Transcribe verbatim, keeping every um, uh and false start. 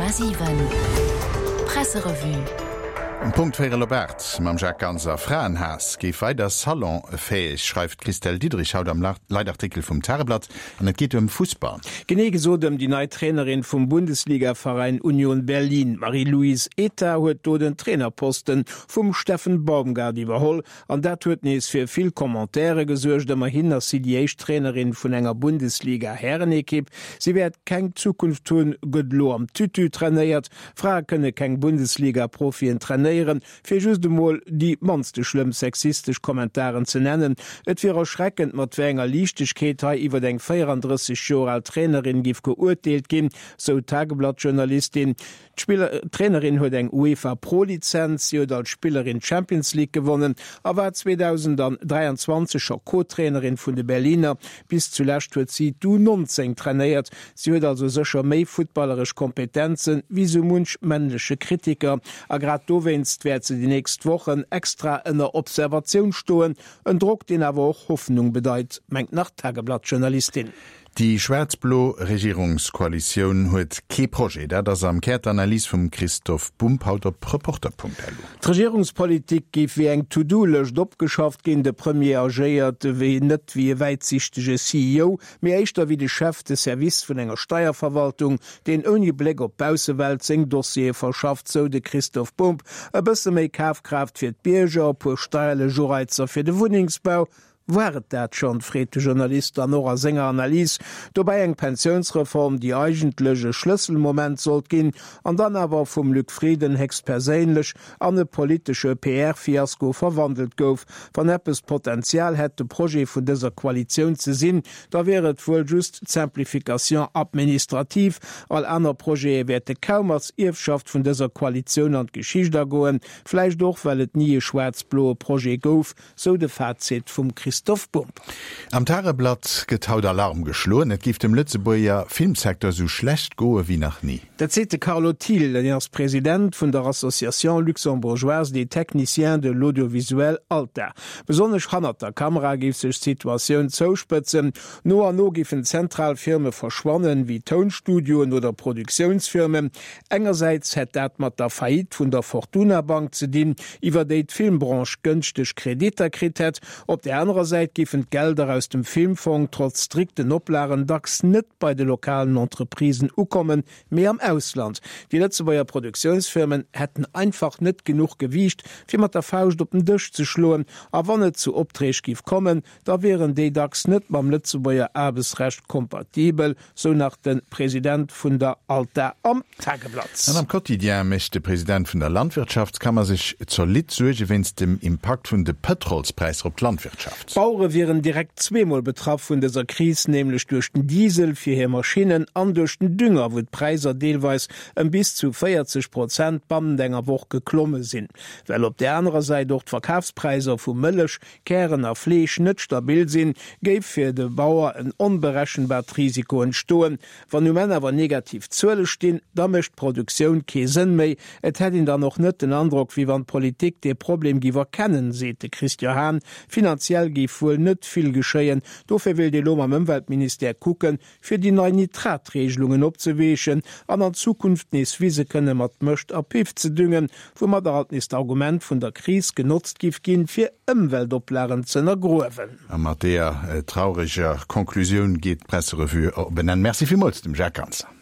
Komma siwen Presserevue. Um Punkt véierel op aacht mam Jacques Ganser. Fraenhaass géif weider salonfäeg, schreift d'Christelle Diederich haut am Leitartikel vum Tageblatt. An et geet ëm Fussball. Genee gesot ëm déi nei Trainerin vum Bundesligaveräin Union Berlin. D'Marie-Louise Eta huet do den Trainerposten vum Steffen Baumgart iwwerholl. An dat huet nees fir vill Commentaire gesuergt. Ëmmerhin ass si déi éischt Trainerin vun enger Bundesliga-Härenekipp. Si wäert keng Zukunft hunn, gëtt elo am Tütü trainéiert. Frae kënne keng Bundesliga-Profien trainéieren, fir just emol déi mannste schlëmm sexistesch Kommentaren ze nennen. Et wier erschreckend, mat wéi enger Liichtegkeet hei iwwer eng véierandrësseg Joer al Trainerin giff geurteelt ginn, sou d'Tageblatt-Journalistin. D'Trainerin huet eng UEFA Pro-Lizenz, si huet als Spillerin d'Champions League gewonnen a war zweedausenddräianzwanzeg scho Co-Trainerin vun de Berliner. Bis zulescht huet si d'U neunzéng trainéiert. Si huet also sécher méi futtballeresch Kompetenzen wéi sou munch männleche Kritiker. A grad dowéinst wäert se déi nächst Wochen extra ënner Observatioun stoen. En Drock, deen awer och Hoffnung bedeit, mengt nach d'Tageblatt-Journalistin. Déi schwaarz-blo Regierungskoalitioun huet kee Projet. Dat ass am Kär d'Analys vum Christoph Bumb haut op Reporter Punkt L U. D'Regierungspolitik géif wéi eng To-Do-Lëscht opgeschafft ginn. De Premier agéiert wéi net wéi e wäitsichtege C E O, mee éischter wéi de Chef de Service vun enger Steierverwaltung, deen ouni Bléck op d'Baussewelt seng Dossiere verschafft, sou de Christoph Bumb. E bësse méi Kafkraaft fir d'Bierger, e puer steierlech Ureizer fir de Wunnengsbau, war et dat schonn, freet de Journalist dann och a senger Analys. Dobäi eng Pensiounsreform, déi eigentlech e Schlësselmoment sollt ginn, an dann awer vum Luc Frieden héchstperséinlech an e politesche P R-Fiasko verwandelt gouf. Wann eppes d'Potenzial hätt, de Projet vun dëser Koalitioun ze sinn, da wier et wuel just d'Simplification administrative. All aner Projete wäerte kaum als Ierfschaft vun dëser Koalitioun an d'Geschicht agoen, vläicht och well et ni e schwaarz-bloe Projet gouf, sou de Fazit vum Christoph Bumb. Am Tageblatt gëtt haut Alarm geschloen, et géif dem Lëtzebuerger Filmsecteur sou schlecht goe wéi nach ni. Dat seet de Carlo Thiel, deen ass President vun der Association luxembourgeoise des techniciens de l'audiovisuel, ALTA. Besonnesch hannert der Kamera géif sech d'Situatioun zouspëtzen. No an no géifen zentral Firme verschwannen, wéi Tounstudioen oder Produktiounsfirmen. Engersäits hätt dat mat der Faillite vun der Fortuna Bank ze dinn, iwwer déi d'Filmbranche gënschteg Kreditter kritt hätt. Op där anerer Säit géifen d'Gelder aus dem Filmfong trotz strikten Oplagen dacks net bei de lokalen Entreprisen ukommen, mee am Ausland. Déi Lëtzebuerger Produktiounsfirmen hätten einfach net genuch Gewiicht, fir mat der Fauscht op den Dësch ze schloen. A wann et zu Opträg géif kommen, da wieren déi dacks net mam Lëtzebuerger Aarbechtsrecht kompatibel, sou nach de President vun der ALTA am Tageblatt. An am Quotidien mécht de President vun der Landwirtschaftskammer sech zolidd Suerge wéinst dem Impakt vun de Pëtrolspräisser op d'Landwirtschaft. D'Bauere wieren direkt zweemol betraff vun dëser Kris, nämlech duerch den Diesel fir hir Maschinnen an duerch den Dünger, wou d'Präisser deelweis ëm bis zu véierzeg Prozent bannent enger Woch geklomme sinn. Well op där anerer Säit och d'Verkafspräisser vu Mëllech, Kären a Fleesch net stabil sinn, géif fir de Bauer en onberechenbart Risiko entstoen. Wann um Enn awer negativ Zuele stinn, da mécht d'Produktioun kee Sënn méi. Et hätt een dann och net den Androck, wéi wann d'Politik dee Problem géif erkennen, seet de Christian Hahn. Finanziell géif wuel net vill geschéien. Dofir wéilt ee lo mam Ëmweltministère kucken, fir déi nei Nitratregelungen opzeweechen an an Zukunft nees Wise kënne mat Mëscht a Piff ze düngen, woumadder alt nees d'Argument vun der Kris genotzt giff ginn, fir Ëmweltoplagen z'ënnergruewen. A mat deeër traureger Conclusioun geet d'Presserevue op en Enn. Merci villmools dem Jacques Ganser.